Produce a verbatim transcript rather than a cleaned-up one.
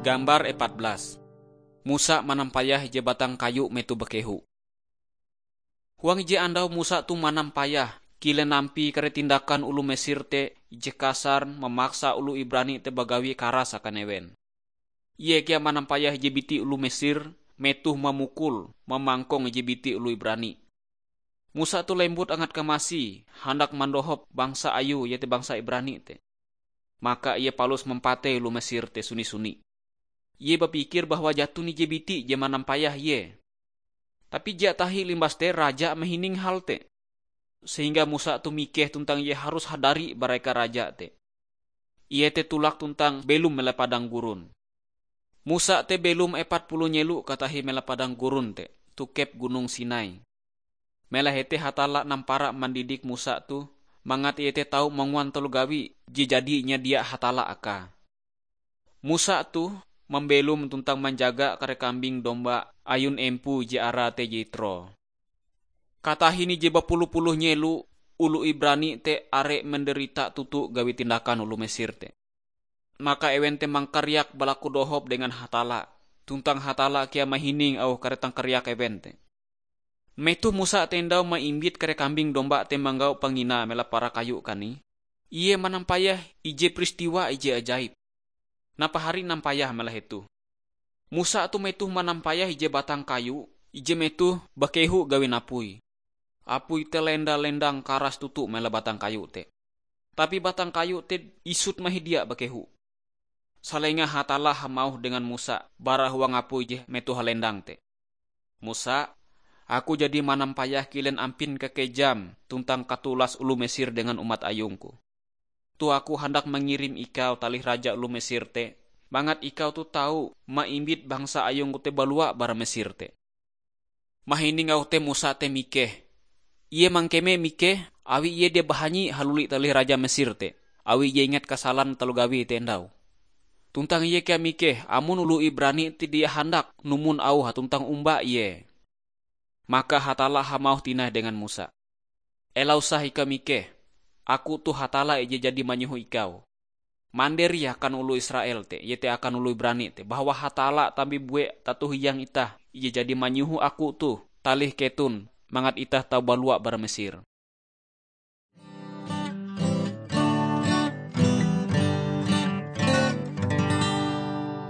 Gambar epat belas. Musa manampayah ije batang kayu metoh bakehu. Huang ije andau Musa toh manampayah kilen ampie kare tindakan oloh Mesir te je kasar mamaksa oloh Ibrani te bagawi karas akan ewen. Ie kea manampayah ije biti oloh Mesir metoh mamukul, mamangkong ije biti oloh Ibrani. Musa toh lembut angat kamasi, handak mandohop bangsa ayue, iete bangsa Ibrani te. Maka ie palus mampatei oloh Mesir te suni-suni. Ie bapikir bahwa jaton ije biti je manampayah ie. Tapi dia tahi limbas te raja mahining hal te. Sehingga Musa toh mikeh tuntang ie harus hadari bara eka raja te. Ie te tulak tuntang belom mela padang gurun. Musa te belom epat puluh nyelo katahi mela padang gurun te, tokep Gunong Sinai. Mela hete Hatalla nampara mandidik Musa toh, mangat ie te tau manguan taloh gawi je jadi nyadia Hatalla akae. Musa toh mambelom tuntang manjaga kare kambing domba ayun empoe je arae te Yitro. Katahin ije bapuluh-puluh nyelo oloh Ibrani te are manderita toto gawi tindakan oloh Mesir te. Maka ewen te mangkariak balaku dohop dengan Hatalla, tuntang Hatalla kea mahining auh kare tangkariak ewen te. Metoh Musa te endau maimbit kare kambing domba te manggau panginae mela para kayu kanih, ie manampayah ije peristiwa ije ajaib. Napahari nampayah mela hetoh. Musa toh metoh manampayah ije batang kayu, ije metoh bakehu gawin apui. Apui te lenda-lendang karas toto mela batang kayu te. Tapi batang kayu te isut mahidia bakehu. Salenga Hatalla hamauh dengan Musa bara huang apui je metoh halendang te, "Musa, Aku jadi manampayah kilen ampin kakejam tuntang katulas oloh Mesir dengan umat ayungku. Toh Aku handak mangirim ikau talih raja oloh Mesir te, mangat ikau toh tau maimbit bangsa ayungku te balua bara Mesir te." Mahining auh te Musa te mikeh. Ie mangkeme mikeh, awi ie dia bahanyi haluli talih raja Mesir te, awi ie ingat kasalan taloh gawie te endau. Tuntang ie kea mikeh amon oloh Ibrani te dia handak numon auhe tuntang omba ie. Maka Hatalla hamauh tinai dengan Musa, "Ela usah ikau mikeh. Aku toh Hatalla ije jadi manyoho ikau. Manderi akan oloh Israel te, iete akan oloh Ibrani te, bahwa Hatalla tabie bue tato hiang itah ije jadi manyoho Aku toh talih keton mangat itah tau balua bara Mesir."